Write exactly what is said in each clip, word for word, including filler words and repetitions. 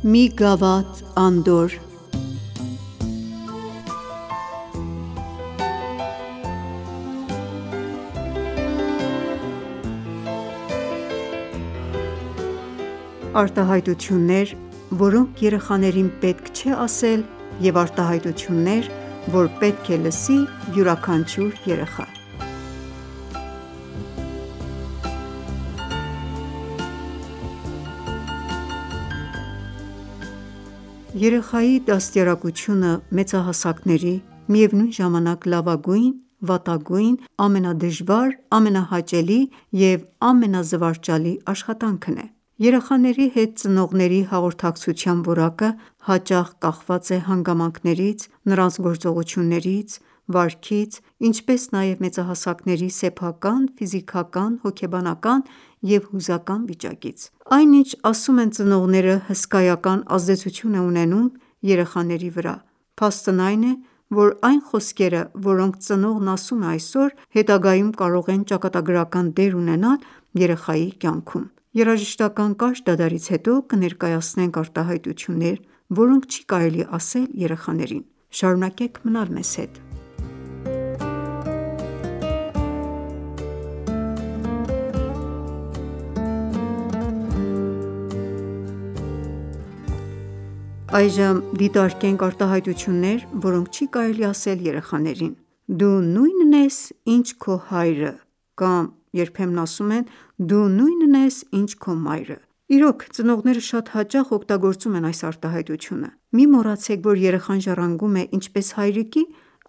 Մի գավաթ անդորր Արտահայտություններ, որոնք երեխաներին պետք չէ ասել և արտահայտություններ, որ պետք է լսի յուրաքանչյուր երեխա: Երեխայի դաստիարակությունը մեծահասակների, միևնույն ժամանակ լավագույն, վատագույն, ամենադժվար, ամենահաճելի և ամենազվարճալի աշխատանքն է: Երեխաների հետ ծնողների հաղորդակցության որակը հաճախ կախված է հանգամանքներից, նրանց գործողություններից, վարքից, ինչպես նաև մեծահասակների սեփական, ֆիզիկական, հոգեբանական և հուզական վիճակից: Այն ինչ ասում են ծնողները հսկայական ազդեցություն է ունենում երեխաների վրա: Փաստն այն է, որ այն խոսքերը, որոնք ծնողն ասում է այսօր, հետագայում կարող են ճակատագրական դեր ունենալ երեխայի կյանքում: Երաժշտական կարճ դադարից հետո կներկայացնենք արտահայտություններ, որոնք չի կարելի ասել երեխաներին: Շարունակեք մնալ մեզ հետ: Այժմ դիտարկենք արտահայտություններ, որոնք չի կարելի ասել երեխաներին: Դու նույնն ես, ինչ քո հայրը կամ երբեմն ասում են դու նույնն ես, ինչ քո մայրը: Իրոք, ծնողները շատ հաճախ օգտագործում են այս արտահայտությունը: Մի մոռացեք, որ երեխան ժառանգում է ինչպես հայրիկի,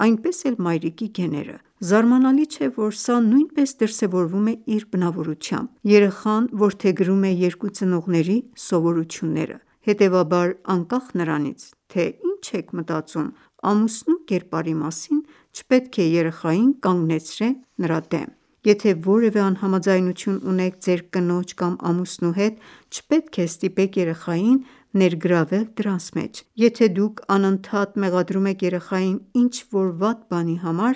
այնպես էլ մայրիկի գեները: Զարմանալի չէ, որ սա նույնպես դրսևորվում է իր բնավորությամբ: Երեխան որդեգրում է երկու ծնողների սովորությունները: Հետևաբար, անկախ նրանից, թե ինչ եք մտածում ամուսնու կերպարի մասին, չպետք է երեխային կանգնեցրեք նրա դեմ: Եթե որևէ անհամաձայնություն ունեք ձեր կնոջ կամ ամուսնու հետ, չպետք է ստիպեք երեխային ներգրավել դրանց մեջ: Եթե դուք անընդհատ մեղադրում եք երեխային ինչ-որ վատ բանի համար,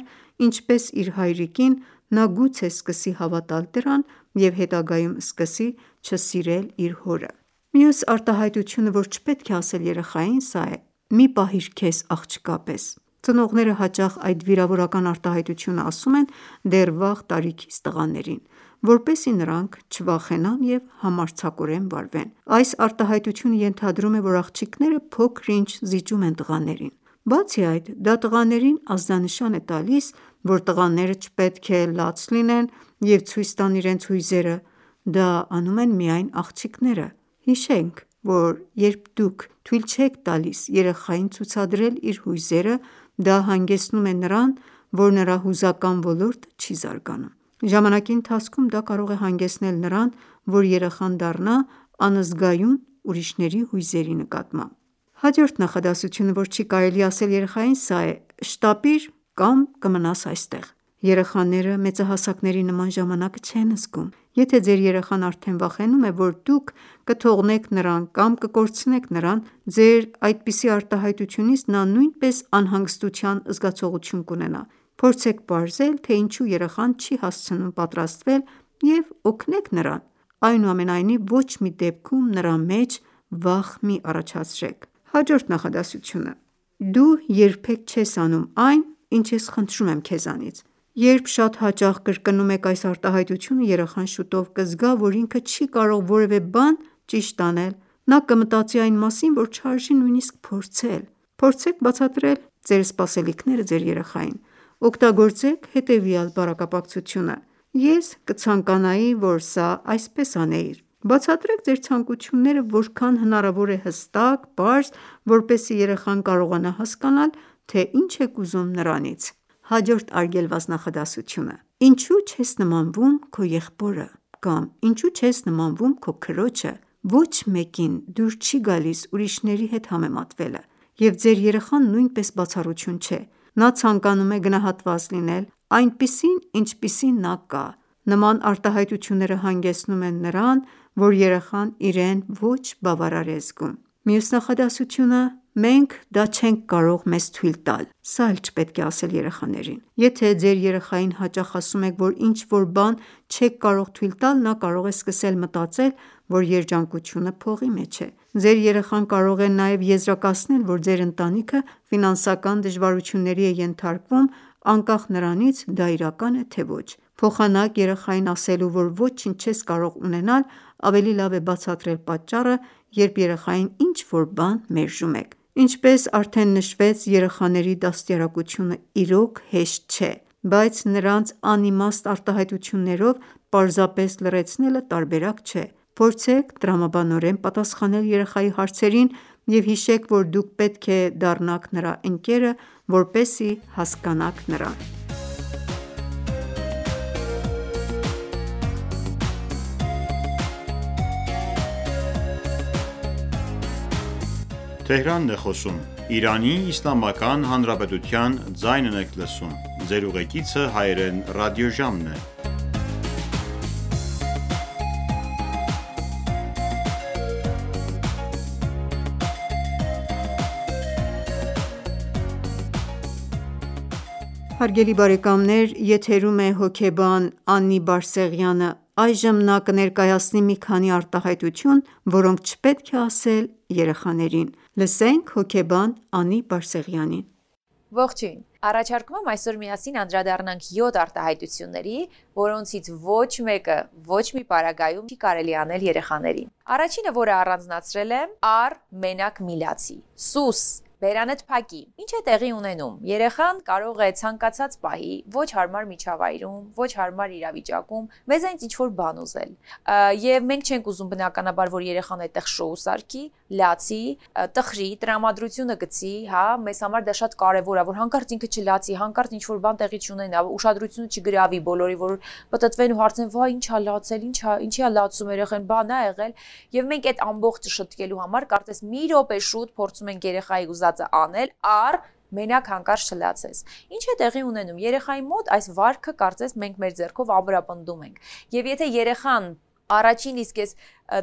ինչպես իր հայրիկին, նա գուցե սկսի հավատալ դրան և հետագայում սկսի չսիրել իր հորը: Մյուս արտահայտությունը, որ չպետք է ասել երեխային, սա է. «Մի պահիր քեզ աղջկա պես»: Ծնողները հաճախ այդ վիրավորական արտահայտությունը ասում են դեռ վաղ տարիքից տղաներին, որպեսզի նրանք չվախենան և համարձակորեն վարվեն: Այս արտահայտությունը ենթադրում է, որ աղջիկները փոքր-ինչ զիջում են տղաներին: Բացի այդ, դա տղաներին ազդանշան է տալիս, որ տղաները չպետք է լաց լինեն և ցույց տան իրենց հույզերը: Դա անում են միայն աղջիկները: Հիշենք, որ երբ դուք թույլ չեք տալիս երեխային ցուցադրել իր հույզերը, դա հանգեցնում է նրան, որ նրա հուզական ոլորտը չի զարգանում: Ժամանակի ընթացքում դա կարող է հանգեցնել նրան, որ երեխան դառնա անզգայուն ուրիշների հույզերի նկատմամբ: Հաջորդ նախադասությունը, որ չի կարելի ասել երեխային, սա է. «Շտապիր կամ կմնաս այստեղ»: Երեխաները մեծահասակների նման ժամանակը չեն զգում: Եթե ձեր երեխան արդեն վախենում է, որ դուք կթողնեք նրան կամ կկորցնեք նրան, ձեր այդպիսի արտահայտությունից նա նույնպես անհանգստության զգացողություն կունենա: Փորձեք պարզել, թե ինչու երեխան չի հասցնում պատրաստվել և օգնեք նրան: Այնուամենայնիվ, ոչ մի դեպքում նրա մեջ վախ մի առաջացրեք: Հաջորդ նախադասությունը. «Դու երբեք չես անում այն, ինչ ես խնդրում եմ քեզանից»: Երբ շատ հաճախ կրկնում եք այս արտահայտությունը, երեխան շուտով կզգա, որ ինքը չի կարող որևէ բան ճիշտ անել: Նա կմտածի այն մասին, որ չարժի նույնիսկ փորձել: Փորձեք բացատրել ձեր սպասելիքները ձեր երեխային: Օգտագործեք հետևյալ բառակապակցությունը. «Ես կցանկանայի, որ սա այսպես անեիր»: Բացատրեք ձեր ցանկությունները որքան հնարավոր է հստակ, պարզ, որպեսզի երեխան կարողանա հասկանալ, թե ինչ եք ուզում նրանից: Հաջորդ արգելված նախադասությունը. «Ինչու չես նմանվում քո եղբորը» կամ «Ինչու չես նմանվում քո քրոջը»: Ոչ մեկին դուր չի գալիս ուրիշների հետ համեմատվելը: Եվ ձեր երեխան նույնպես բացառություն չէ: Նա ցանկանում է գնահատված լինել այնպիսին, ինչպիսին նա կա: Նման արտահայտությունները հանգեցնում են նրան, որ երեխան իրեն ոչ բավարար է զգում: Մյուս նախադասությունը. «Մենք դա չենք կարող մեզ թույլ տալ»: Սա էլ չպետք է ասել երեխաներին: Եթե ձեր երեխային հաճախ ասում եք, որ ինչ-որ բան չեք կարող թույլ տալ, նա կարող է սկսել մտածել, որ երջանկությունը փողի մեջ է։ Ձեր երեխան կարող է նաև եզրակացնել, որ ձեր ընտանիքը ֆինանսական դժվարությունների է ենթարկվում, անկախ նրանից դա իրական է թե ոչ։ Փոխանակ երեխային ասելու, որ ոչինչ չես կարող ունենալ, ավելի լավ է բացատրել պատճառը, երբ երեխային ինչ-որ բան մերժում եք։ Ինչպես արդեն նշվեց, երեխաների դաստիարակությունը իրոք հեշտ չէ, բայց նրանց անիմաստ արտահայտություններով պարզապես լռեցնելը տարբերակ չէ։ Փորձեք տրամաբանորեն պատասխանել երեխայի հարցերին և հիշեք, որ դուք պետք է դառնաք նրա ընկերը, որպեսզի հասկանաք նրան։ Հարգելի բարեկամներ, եթերում է հոգեբան Անի Բարսեղյանը: Այժմ նա կներկայացնի մի քանի արտահայտություն, որոնք չպետք է ասել երեխաներին: Լսենք հոգեբան Անի Բարսեղյանին: Ողջույն, առաջարկում եմ այսօր միասին անդրադառնանք յոթ արտահայտությունների, որոնցից ոչ մեկը ոչ մի պարագայում չի կարելի անել երեխաներին: Առաջինը, որը առանձնացրել եմ, առ մենակ միլացի: Սուս, բերանդ փակի: Ինչ է տեղի ունենում: Երեխան կարող է ցանկացած պահի ոչ հարմար միջավայրում, ոչ հարմար իրավիճակում մեզանից ինչ-որ բան ուզել: Եվ մենք չենք ուզում բնականաբար, որ երեխան այդտեղ շոու սարքի, լացի, տխրի, տրամադրությունը գցի, հա, մեզ համար դա շատ կարևոր է, որ հանկարծ ինքը չլացի, հանկարծ ինչ-որ բան տեղի չունենա, ուշադրությունը չգրավի բոլորի, որ պտտվեն ու հարցնեն, վայ, ի՞նչ ա լացել, ինչի ա լացում երեխան, բան ա եղել: Եվ մենք այդ ամբողջը շտկելու համար կարծես մի րոպե շուտ փորձում ենք երեխայի ուզածը անել, առ մենակ հանկարծ չլացես: Ինչ է տեղի ունենում: Երեխայի մոտ այս վարքը կարծես մենք մեր ձեռքով ամրապնդում ենք: Եվ եթե երեխան առաջին իսկ այս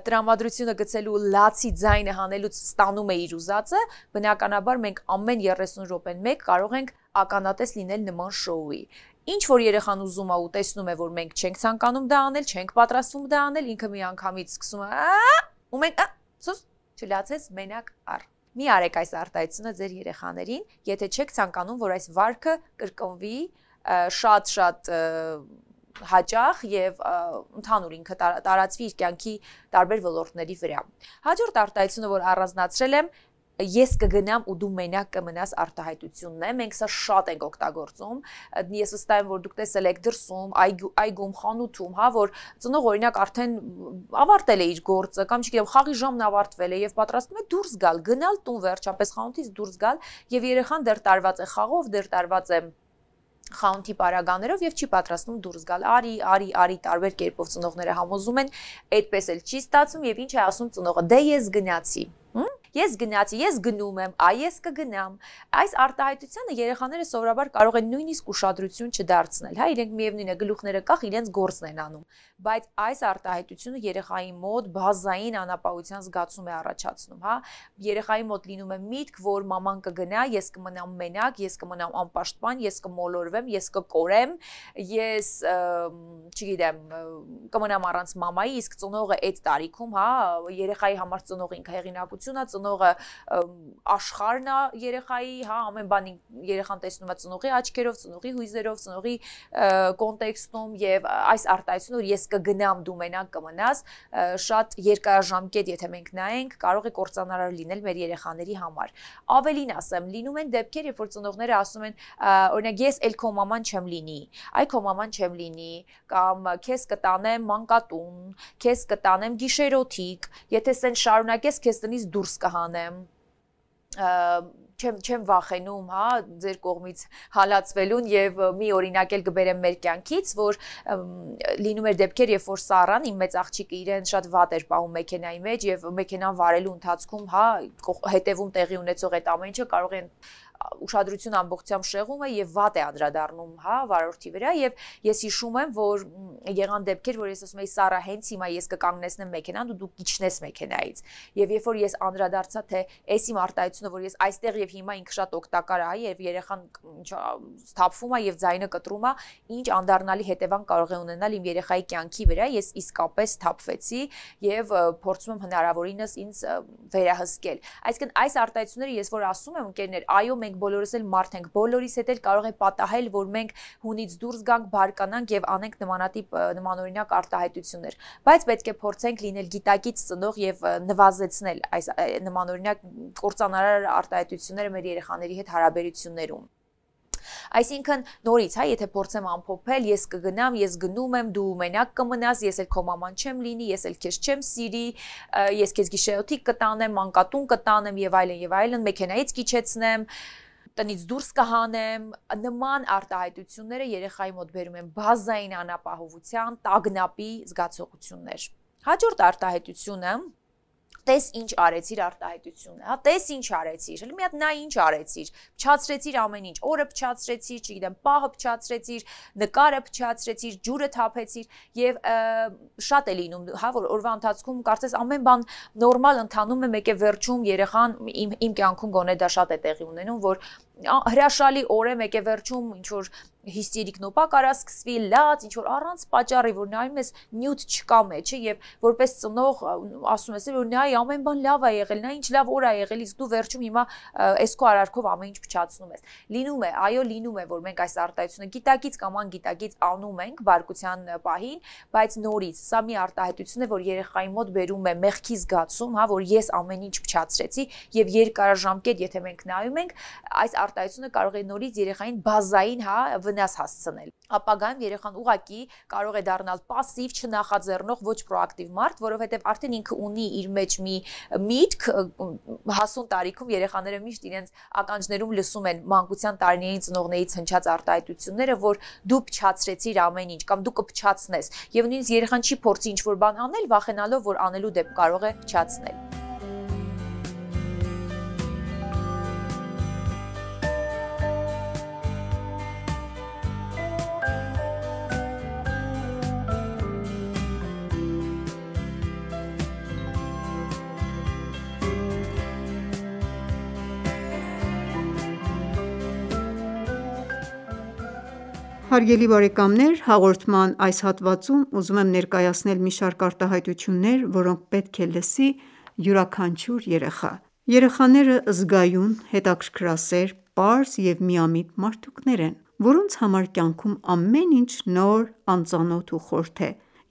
տրամադրությունը գցելու լացի ձայնը հանելուց ստանում է իր ուզածը, բնականաբար մենք ամեն երեսուն րոպեն մեկ կարող ենք ականատես լինել նման շոուի: Ինչ որ երեխան ուզում է ու տեսնում է, որ մենք չենք ցանկանում դա անել, չենք պատրաստվում դա անել, ինքը միանգամից սկսում է ա ու մենք սուս, չլացես, մենակ առ: Մի արեք այս արտահայտությունը ձեր երեխաներին, եթե չեք ցանկանում, որ այս վարքը կրկնվի շատ-շատ հաճախ և ընդհանուր ինքը տարածվի իր կյանքի տարբեր ոլորտների վրա: Հաջորդ արտահայտությունը, որ առանձնացրել եմ, ես կգնամ ու դու մենակ կմնաս արտահայտությունն է: Մենք սա շատ ենք օգտագործում: Ես վստահ եմ, որ դուք տեսել եք դրսում, այգում, խանութում, հա, որ ծնող օրինակ արդեն ավարտել է իր գործը կամ չգիտեմ, խաղի ժամն ավարտվել է և պատրաստվում է դուրս գալ, գնալ տուն վերջապես խանութից դուրս գալ և երեխան դեռ տարված է խաղով, դեռ տարված է խանութի պարագաներով և չի պատրաստվում դուրս գալ: Արի, արի, արի, տարբեր կերպով ծնողները համոզում են, այդպես էլ չի ստացվում և ինչ է ասում ծնողը, դե ես գնացի: Ես գնացի, ես գնում եմ, այ ես կգնամ: Այս արտահայտությանը երեխաները սովորաբար կարող են նույնիսկ ուշադրություն չդարձնել, հա, իրենք միևնույն է գլուխները կախ իրենց գործն են անում: Բայց այս արտահայտությունը երեխայի մոտ բազային անապահովության զգացում է առաջացնում, հա: Երեխայի մոտ լինում է միտք, որ մաման կգնա, ես կմնամ մենակ, ես կմնամ անպաշտպան, ես կմոլորվեմ, ես կկորեմ, ես, չգիտեմ, կմնամ առանց մամայի, իսկ ծնողը այդ տարիքում, հա, երեխայի համար ծնողը ինքը հեղինակություն է, ծնողը աշխարհն է երեխայի, հա, ամեն բան երեխան տեսնում է ծնողի աչքերով, ծնողի հույզերով, ծնողի կոնտեքստում և այս արտահայտությունը, որ ես կգնամ, դու մենակ կմնաս, շատ երկարաժամկետ եթե մենք նայենք, կարող է կործանարար լինել մեր երեխաների համար: Ավելին ասեմ, լինում են դեպքեր, երբ որ ծնողները ասում են, օրինակ, ես էլ քո մաման չեմ լինի, այ քո մաման չեմ լինի, կամ քեզ կտանեմ մանկատուն, քեզ կտանեմ գիշերօթիկ, եթե սեն շարունակես, քեզ տնից դուրս կհանեմ, չեմ վախենում, հա, ձեր կողմից հալածվելուն և մի օրինակ էլ կբերեմ մեր կյանքից, որ լինում էր դեպքեր, երբ որ Սառան, իմ մեծ աղջիկը, իրեն շատ վատ էր պահում մեքենայի մեջ և մեքենան վարելու ընթացքում, հա, հետևում տեղի ունեցող այդ ամեն ինչը կարող են ուշադրությունը ամբողջությամբ շեղում է եւ վատ է անդրադառնում, հա, վարորդի վրա եւ ես հիշում եմ, որ եղան դեպքեր, որ ես ասում եի Սարա, հենց հիմա ես կկանգնեցնեմ մեքենան ու դու կիջնես մեքենայից։ Եվ երբ որ ես անդրադարձա, թե այս իմ արտահայտությունը, որ ես այստեղ եւ հիմա ինքը շատ օգտակար է, եւ երեխան սթափվում է եւ ձայնը կտրում է, ինչ անդառնալի հետևանք կարող է ունենալ իմ երեխայի կյանքի վրա, ես իսկապես սթափվեցի եւ փորձում եմ հնարավորինս ինձ վերահսկել։ Այսինքն այս արտահայտությունները ես որ ասում եմ ընկերներ, այո, մենք բոլորս էլ մարդ ենք, բոլորիս հետ էլ կարող է պատահել, որ մենք հունից դուրս գանք, բարկանանք եւ անենք նմանատիպ նմանօրինակ արտահայտություններ, բայց պետք է փորձենք լինել գիտակից ծնող եւ նվազեցնել այս նմանօրինակ կործանարար արտահայտությունները մեր երեխաների հետ հարաբերություններում։ Այսինքն նորից, հա, եթե փորձեմ ամփոփել, ես կգնամ, ես գնում եմ, դու մենակ կմնաս, ես էլ քո մաման չեմ լինի, ես էլ քեզ չեմ սիրի, ես քեզ գիշերօթիկ կտանեմ, մանկատուն կտանեմ եւ այլն եւ այլն, մեքենայից կիջեցնեմ, տնից դուրս կհանեմ, նման արտահայտությունները երեխայի մոտ բերում են բազային անապահովության, տագնապի զգացողություններ։ Հաջորդ արտահայտությունը տես ինչ արեցիր արտահայտությունը, հա, տես ինչ արեցիր, հələ մի հատ նա ինչ արեցիր, փչացրեցիր ամեն ինչ, օրը փչացրեցիր, չգիտեմ, պահը փչացրեցիր, նկարը փչացրեցիր, ջուրը թափեցիր եւ շատ է լինում, հա, որ օրվա ընթացքում կարծես ամեն բան նորմալ ընթանում է, մեկ է վերջում երեխան իմ իմ կյանքում գոնե դա շատ է տեղի ունենում, որ հրաշալի օր է, մեկ է վերջում ինչ որ հիստերիկ նոպա կարա սկսվի, լաց, ինչ որ առանց պատճառի, որ նայում ես նյութ չկա մեջը եւ որպես ծնող ասում ես, որ նայ ամեն բան լավ է եղել, նա ինչ լավ օր է եղել, իսկ դու վերջում հիմա այս քո արարքով ամեն ինչ փչացնում ես։ Լինում է, այո, լինում է, որ մենք այս արտահայտությունը գիտակից կամ անգիտակից անում ենք բարկության պահին, բայց նորից սա մի արտահայտություն է, որ երեխայի մոտ բերում է մեղքի զգացում, հա, որ ես ամեն ինչ փչացրեցի եւ երկարաժամկետ, եթե մենք նայում ենք, այս արտահայտությունը կարող է նորից երեխային բազային, հա, վնաս հասցնել։ Ապագայում երեխան ուղակի կարող է դառնալ пассив, չնախաձեռնող, ոչ պրոակտիվ մարդ, որովհետև արդեն ինքը ունի իր մեջ մի միտք, հասուն տարիքում երեխաները միշտ իրենց ականջներում լսում են մանկության տարիներին ծնողներից հնչած արտահայտությունները, որ դու փչացրեցիր ամեն ինչ կամ դու կփչացնես, եւ նույնիսկ երեխան չի փորձի ինչ-որ բան անել, վախենալով, որ անելու դեպք կարող է փչացնել։ Հարգելի բարեկամներ, հաղորդման այս հատվածում ուզում եմ ներկայացնել մի շարք արտահայտություններ, որոնք պետք է լսի յուրաքանչյուր երեխա։ Երեխաները զգայուն, հետաքրքրասեր, պարզ և միամիտ մարդուկներ են, որոնց համար կյանքում ամեն ինչ նոր, անծանոթ ու խորհրդ է,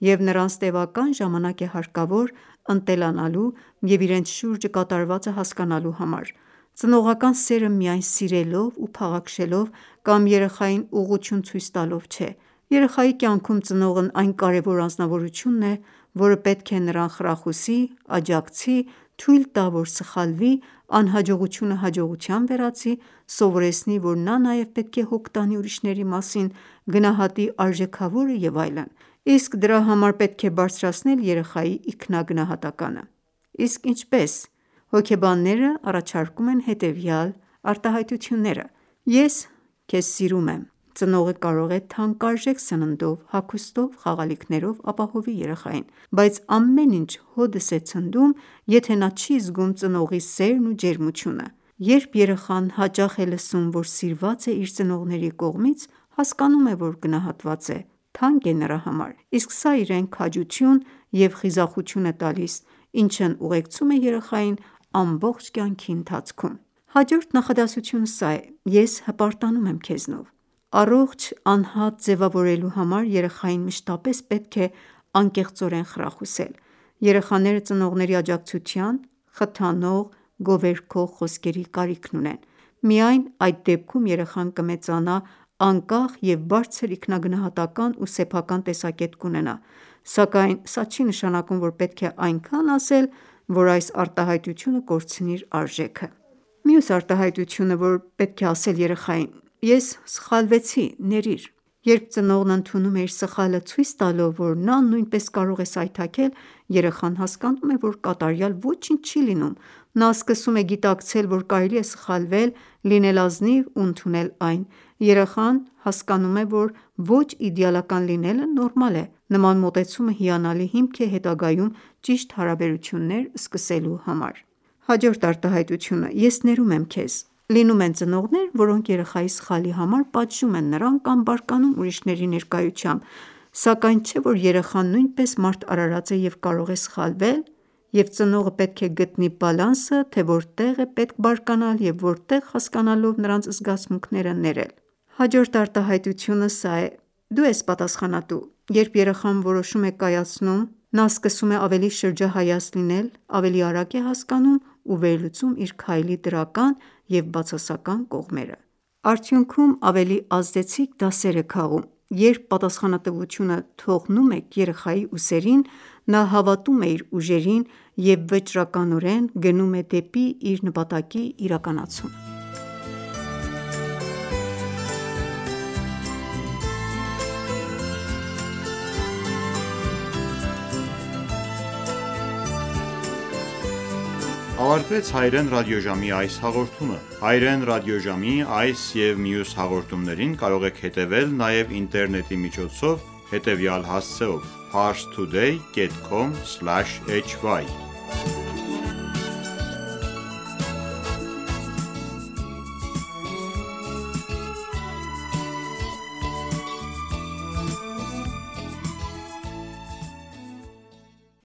և նրանց տևական ժամանակ է հարկավոր ընտելանալու և իրենց շուրջը կատարվածը հասկանալու համար։ Ծնողական սերը միայն սիրելով ու փաղաքշելով կամ երեխային ուղղություն ցույց տալով չէ։ Երեխայի կյանքում ծնողն այն կարևոր անձնավորությունն է, որը պետք է նրան խրախուսի, աջակցի, թույլ տա, որ սխալվի, անհաջողությունը հաջողության վերածի, սովորեցնի, որ նա նաև պետք է հոգ տանի ուրիշների մասին, գնահատի արժեքավորը և այլն։ Իսկ դրա համար պետք է բարձրացնել երեխայի ինքնագնահատականը։ Իսկ ինչպե՞ս։ Հոգեբանները առաջարկում են հետևյալ արտահայտությունները. Ես քեզ սիրում եմ։ Ծնողը կարող է թանկարժեք սննդով, հագուստով, խաղալիքներով ապահովի երեխային, բայց ամեն ինչ հօդս է ցնդում, եթե նա չի զգում ծնողի սերն ու ջերմությունը։ Երբ երեխան հաճախ է լսում, որ սիրված է իր ծնողների կողմից, հասկանում է, որ գնահատված է, թանկ է նրա համար, իսկ սա իրեն քաջություն և խիզախություն է տալիս, ինչն ուղեկցում է երեխային ամբողջ կյանքի ընթացքում։ Հաջորդ նախադասությունը սա է. ես հպարտանում եմ քեզնով։ Առողջ անհատ ձևավորելու համար երեխային մշտապես պետք է անկեղծորեն խրախուսել։ Երեխաները ծնողների աջակցության, խթանող, գովերգող խոսքերի կարիքն ունեն։ Միայն այդ դեպքում երեխան կմեծանա անկախ և բարձր ինքնագնահատական ու սեփական տեսակետ կունենա, սակայն սա չի նշանակում, որ պետք է այնքան ասել, որ այս արտահայտությունը կորցնի իր արժեքը։ Մյուս արտահայտությունը, որ պետք է ասել երեխային. ես սխալվեցի, ների՛ր։ Երբ ծնողն ընդունում է իր սխալը, ցույց տալով, որ նա նույնպես կարող է սայթաքել, երեխան հասկանում է, որ կատարյալ ոչինչ չի լինում, Նա սկսում է գիտակցել, որ կարելի է սխալվել, լինել ազնիվ ու ընդունել այն: Երեխան հասկանում է, որ ոչ իդեալական լինելը նորմալ է: Նման մոտեցումը հիանալի հիմք է հետագայում ճիշտ հարաբերություններ սկսելու համար: Հաջորդ արտահայտությունը՝ ես ներում եմ քեզ: Լինում են ծնողներ, որոնք երեխայի սխալի համար պատժում են նրան կամ բարկանում ուրիշների ներկայությամբ: Սակայն չէ՞ որ երեխան նույնպես մարդ արարած է և կարող է սխալվել, և ծնողը պետք է գտնի բալանսը, թե որտեղ է պետք բարկանալ և որտեղ, հասկանալով նրանց զգացմունքները, ներել: Հաջորդ արտահայտությունը սա է. դու ես պատասխանատու: Երբ երեխան որոշում է կայացնում, նա սկսում է ավելի շրջահայաց լինել, ավելի արագ է հասկանում ու վերլուծում իր քայլի դրական և բացասական կողմերը: Արդյունքում ավելի ազդեցիկ դասեր է քաղում: Երբ պատասխանատվությունը թողնում եք երեխայի ուսերին, նա հավատում է իր ուժերին և վճռականորեն գնում է դեպի իր նպատակի իրականացում: Ավարտվեց հայերեն ռադիոժամի այս հաղորդումը: Հայերեն ռադիոժամի այս և մյուս հաղորդումներին կարող եք հետևել նաև ինտերնետի միջոցով հետևյալ հասցեով՝ parstoday dot com slash hy